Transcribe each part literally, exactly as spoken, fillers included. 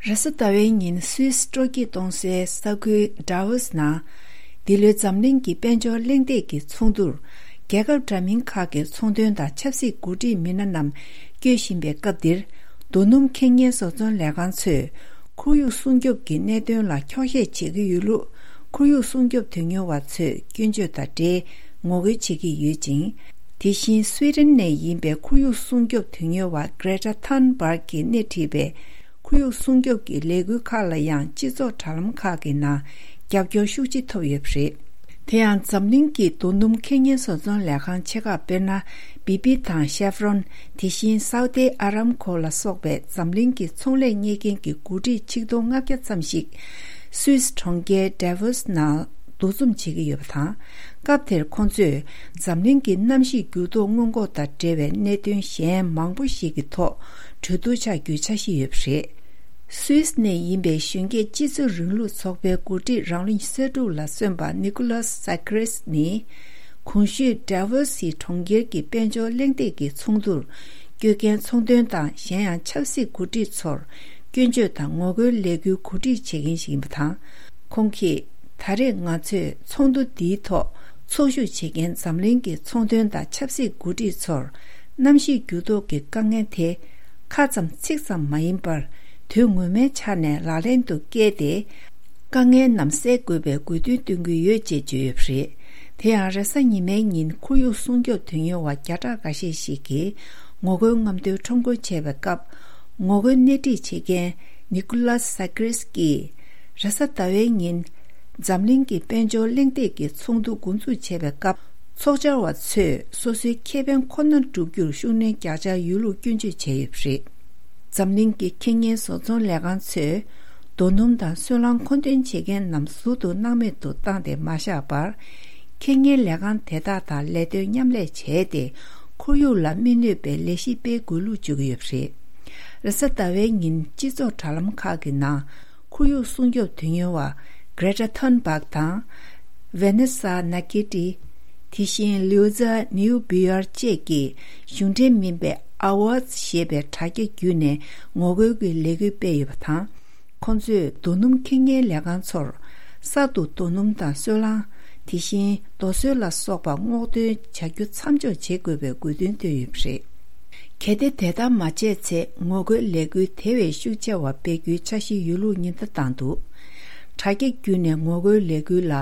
རེས་གཟའ་ཟླ་བའི་ཉིན་སུད་སི་སྤྲོ་སྐྱིད་གཏོང་སའི་ས་ཁུལ་ཌ་ཝོ་སི་ནང་། འདི་ལོའི་འཛམ་གླིང་གི་དཔལ་འབྱོར་གླེང་སྟེགས་ཀྱི་ཚོགས་འདུར། རྒྱལ་ཁབ་འདྲ་མིན་ཁག་གི་ཚོང་དོན་དང་ཆབ་སྲིད་འགོ་ཁྲིད་མི་སྣ་རྣམས་བསྐྱོད་བཞིན་པའི་སྐབས་འདིར། རྡོ་སྣུམ་ཁེ་གཉེར་བཟོ་ཚོང་ལས་ཁང་ཚོས། ཁོར་ཡུག་སྲུང་སྐྱོབ་ཀྱི་གནད་དོན་ལ་འཁྱོག་བཤད་བྱེད་ཀྱི་ཡོད་ལུགས། ཁོར་ཡུག་སྲུང་སྐྱོབ་དོན་གཉེར་བ་ཚོས་སྐྱོན་བརྗོད་དང་འབྲེལ་ངོ་རྒོལ་བྱེད་ཀྱི་ཡོད་ཅིང་། དེ་བཞིན་སུའེ་ཏེན་ནས་ཡིན་པའི་ཁོར་ཡུག་སྲུང་སྐྱོབ་དོན་གཉེར་བ་Greta Thunberg གིས་སྣེ་ཁྲིད་པའི་ཁོར་ཡུག་སྲུང་སྐྱོབ་ཀྱི་ལས་འགུལ་ཁག་ལ་ཡང་སྤྱི་ཚོགས་དྲ་ལམ་ཁག་གི་ནང་རྒྱབ་སྐྱོར་ཤུགས་ཆེ་ཐོབ་ཡོད་པ་རེད། དེ་ཡང་འཛམ་གླིང་གི་རྡོ་སྣུམ་ཁེ་གཉེར་བཟོ་ཚོང་ལས་ཁང་ཆེ་ཁག་དཔེར་ན། བི་པི་དང་ཤེ་ཕ་རོན། དེ་བཞིན་སའུ་ཏེ་ཨ་རམ་ཁོ་ལ་སོགས་པའི་འཛམ་གླིང་གི་ཚོང་ལས་གཉེར་མཁན་གྱི་འགོ་ཁྲིད་ཆིག་སྟོང་ལྔ་བརྒྱ་ཙམ་ཞིག་སུད་སི་གྲོང་ཁྱེར་ཌ་ཝོ་སི་ནང་འདུ་འཛོམས་བྱེད་ཀྱི་ཡོད་པ་དང་། སྐབས་དེར་ཁོང་ཚོས་འཛམ་གླིང་གི་གནམ་གཤིས་འགྱུར་ལྡོག་སྔོན་འགོག་དང་འབྲེལ་བའི་གནད་དོན་གཞན་མང་པོ་ཞིག་གི་ཐོག་གྲོས་བསྡུར་བྱ་རྒྱུའི་འཆར་གཞི་ཡོད་པ་རེད། སུད་སི་ནས་ཡིན་པའི་གཞོན་སྐྱེས་སྤྱི་ཚོགས་རིང་ལུགས་ཚོགས་པའི་འགོ་ཁྲིད་རང་བློན་གསར་དྲུག་ལ་སོན་པ་ནི་ཀོ་ལཱས་ས་ཀི་རེས་ནི། གོང་ཞུས་ཌ་ཝོ་སི་གྲོང་ཁྱེར་གྱི་དཔལ་འབྱོར་གླེང་སྟེགས་ཀྱི་ཚོགས་འདུར་བསྐྱོད་མཁན་ཚོང་དོན་དང་གཞན་ཡང་ཆབ་སྲིད་འགོ་ཁྲིད་ཚོར་སྐྱོན་བརྗོད་དང་ངོ་རྒོལ་ལས་འགུལ་གོ་སྒྲིག་བྱེད་མཁན་ཞིག་ཡིན་པ་དང་། ཁོང་གིས། ད་རེས་ང་ཚོས་ཚོགས་འདུ་འདིའི་ཐོག་ཚོགས་ཞུགས་བྱེད་མཁན་འཛམ་གླིང་གི་ཚོང་དོན་དང་ཆབ་སྲིད་འགོ་ཁྲིད་ཚོར། གནམ་གཤིས་འགྱུར་ལྡོག་གི་དཀའ་ངལ་དེ། ཁ་ཙམ་ཚིག་ཙམ་མ་ཡིན་པར། དོན་ངོ་མའི་ཆ་ནས་ལག་ལེན་དུ་བཀལ་ཏེ། དཀའ་ངལ་རྣམས་སེལ་དགོས་པའི་དགོས་འདུན་བཏོན་གྱི་ཡོད་ཅེས་བརྗོད་ཡོད་པ་རེད། དེ་ཡང་རེས་གཟའ་ཉི་མའི་ཉིན་ཁོར་ཡུག་སྲུང་སྐྱོབ་དོན་གཉེར་བ་བརྒྱ་ཕྲག་འགའ་ཤས་ཤིག་གིས་ངོ་རྒོལ་རྔམ་སྟོན་ཁྲོམ་སྐོར་བྱས་པའི་སྐབས། ངོ་རྒོལ་སྣེ་ཁྲིད་བྱེད་མཁན་ནི་ཀོ་ལཱས་ས་ཀི་རེས་ཀྱིས། རེས་གཟའ་ཟླ་བའི་ཉིན། འཛམ་གླིང་གི་དཔལ་འབྱོར་གླེང་སྟེགས་ཀྱི་ཚོགས་འདུ་འགོ་འཛུགས་བྱས་པའི་སྐབས། ཚོགས་བཅར་བ་ཚོས་སོ་སོའི་ཁེ་ཕན་ཁོ་ནར་བསྒྲུབ་རྒྱུར་ཤུགས་སྣོན་རྒྱག་འཆར་ཡོད་ལུགས་སྐྱོན་བརྗོད་བྱས་ཡོད་པ་རེད། འཛམ་གླིང་གི་ཁེ་གཉེར་བཟོ་ཚོང་ལས་ཁང་ཚོས། རྡོ་སྣུམ་དང་སོལ་རླངས་མཁོ་འདོན་བྱེད་མཁན་རྣམས་ཟུར་དུ་སྣང་མེད་དུ་བཏང་སྟེ་མ་བཞག་པར། ཁེ་གཉེར་ལས་ཁང་དེ་དག་དང་ལས་དོན་མཉམ་ལས་བྱས་ཏེ། ཁོར་ཡུག་ལ་མི་གནོད་པའི་ལས་གཞི་སྤེལ་དགོས་ལུགས་བརྗོད་ཀྱི་ཡོད་པ་རེད། རེས་གཟའ་ཟླ་བའི་ཉིན་སྤྱི་ཚོགས་དྲ་ལམ་ཁག་གི་ནང་། ཁོར་ཡུག་སྲུང་སྐྱོབ་དོན་གཉེར་བ་Greta Thunberg དང་། Vanessa Nakate། དེ་བཞིན་Luisa Neubauer བཅས་ཀྱིས་གཞུང་འབྲེལ་མིན་པའི་Awards ཞེས་པའི་དྲ་རྒྱ་བརྒྱུད་ནས་ངོ་རྒོལ་གྱི་ལས་འགུལ་སྤེལ་ཡོད་པ་དང་། ཁོང་ཚོས་རྡོ་སྣུམ་ཁེ་གཉེར་ལས་ཁང་ཚོར། གསར་དུ་རྡོ་སྣུམ་དང་སོལ་རླངས། དེ་བཞིན་རྡོ་སོལ་ལ་སོགས་པ་སྔོག་འདོན་བྱ་རྒྱུ་མཚམས་འཇོག་བྱེད་དགོས་པའི་དགོས་འདུན་བཏོན་ཡོད་པ་རེད། གལ་ཏེ་དེ་ལྟར་མ་བྱས་ཚེ་ངོ་རྒོལ་ལས་འགུལ་དེ་བས་ཤུགས་ཆེ་བ་སྤེལ་རྒྱུའི་འཆར་གཞི་ཡོད་ལུགས་ཉེན་བརྡ་བཏང་འདུག་དྲ་རྒྱ་བརྒྱུད་ནས་ངོ་རྒོལ་ལས་འགུལ་ལ་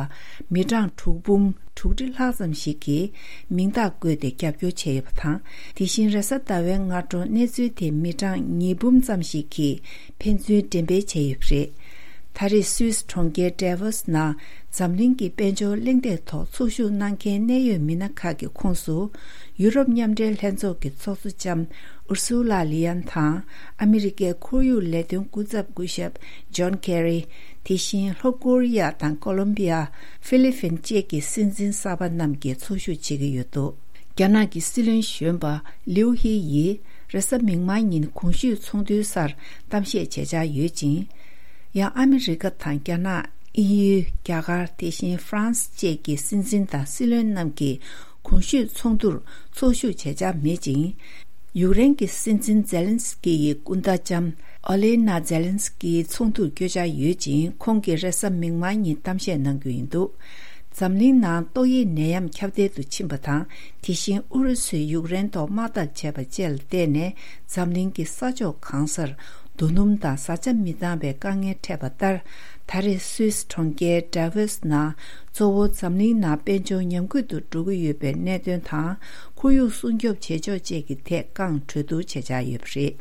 མི་གྲངས་དྲུག་འབུམ་དྲུག་ཁྲི་ལྷག་ཙམ་ཞིག་གིས་མིང་རྟགས་བཀོད་དེ་རྒྱབ་སྐྱོར་བྱས་ཡོད་པ་དང་། དེ་བཞིན་རེས་གཟའ་ཟླ་བའི་སྔ་དྲོ་གནས་ཚུལ་དེ་མི་གྲངས་ཉིས་འབུམ་ཙམ་ཞིག་གིས་ཕན་ཚུན་འགྲེམས་སྤེལ་བྱས་ཡོད་པ་རེད། ད་རེས་སུད་སི་གྲོང་ཁྱེར་ཌེ་ཝོ་སི་ནང་འཛམ་གླིང་གི་དཔལ་འབྱོར་གླེང་སྟེགས་ཐོག་ཚོགས་ཞུགས་གནང་མཁན་གནད་ཡོད་མི་སྣ་ཁག་གི་ཁོངས་སུ། ཡུ་རོབ་མཉམ་འབྲེལ་ལྷན་ཚོགས་ཀྱི་ཚོགས་གཙོ་ལྕམ་ཨུར་སུ་ལ་ལི་ཡན་དང་། ཨ་མི་རི་ཀའི་ཁོར་ཡུག་ལས་དོན་སྐུ་ཚབ་སྐུ་ཞབས་ཇོན་ཁེ་རི། དེ་བཞིན་ལྷོ་ཀོ་རི་ཡ་དང་ཀོ་ལོམ་བི་ཡ། ཧྥི་ལི་ཕིན་བཅས་ཀྱི་སྲིད་འཛིན་གསར་པ་རྣམས་ཀྱིས་ཚོགས་ཞུགས་བྱེད་ཀྱི་ཡོད་འདུག་རྒྱ་ནག་གི་སྲིད་བློན་གཞོན་པ་ལིའུ་ཧི་ཡིས་རེས་གཟའ་མིག་དམར་ཉིན་གོང་ཞུས་ཚོགས་འདུའི་སར་གཏམ་བཤད་བྱེད་འཆར་ཡོད་ཅིང་། ཡང་ཨ་མི་རི་ཀ་དང་རྒྱ་ནག་དབྱིན་ཡུལ། རྒྱ་གར། དེ་བཞིན་ཧྥ་རན་སི་བཅས་ཀྱི་སྲིད་འཛིན་དང་སྲིད་བློན་རྣམས་ཀྱིས་གོང་ཞུས་ཚོགས་འདུར་ཚོགས་ཞུགས་བྱེད་འཆར་མེད་ཅིང་། ཡུཀ་རེན་གྱི་སྲིད་འཛིན་ཛེ་ལན་སི་ཀི་ཡི་སྐུ་ཟླ་ལྕམ་ཨོ་ལེ་ན་ཛེ་ལན་སི་ཀི་ཚོགས་འདུར་བསྐྱོད་འཆར་ཡོད་ཅིང་། ཁོང་གིས་རེས་གཟའ་མིག་དམར་ཉིན་གཏམ་བཤད་གནང་རྒྱུ་ཡིན་འདུག་འཛམ་གླིང་ནང་ཏོག་དབྱིབས་ནད་ཡམས་ཁྱབ་གདལ་དུ་ཕྱིན་པ་དང་། དེ་བཞིན་ཨུ་རུ་སུས་ཡུཀ་རེན་ཐོག་དམག་འཐབ་བྱས་པ་བཅས་ལ་བརྟེན་ནས། འཛམ་གླིང་གི་ས་ཕྱོགས་གང་སར་རྡོ་སྣུམ་དང་བཟའ་བཅའ་མི་འདང་བའི་དཀའ་ངལ་འཕྲད་པ་ལྟར། ད་རེས་སུད་སི་གྲོང་ཁྱེར་ཌ་ཝོ་སི་ནང་གཙོ་བོ་འཛམ་གླིང་ནང་དཔལ་འབྱོར་ཉམས་རྒུད་དུ་འགྲོ་གི་ཡོད་པའི་གནད་དོན་དང་། ཁོར་ཡུག་སྲུང་སྐྱོབ་བྱེད་ཕྱོགས་བཅས་ཀྱི་ཐད་རྐང་གྲོས་བསྡུར་བྱེད་འཆར་ཡོད་པ་རེད།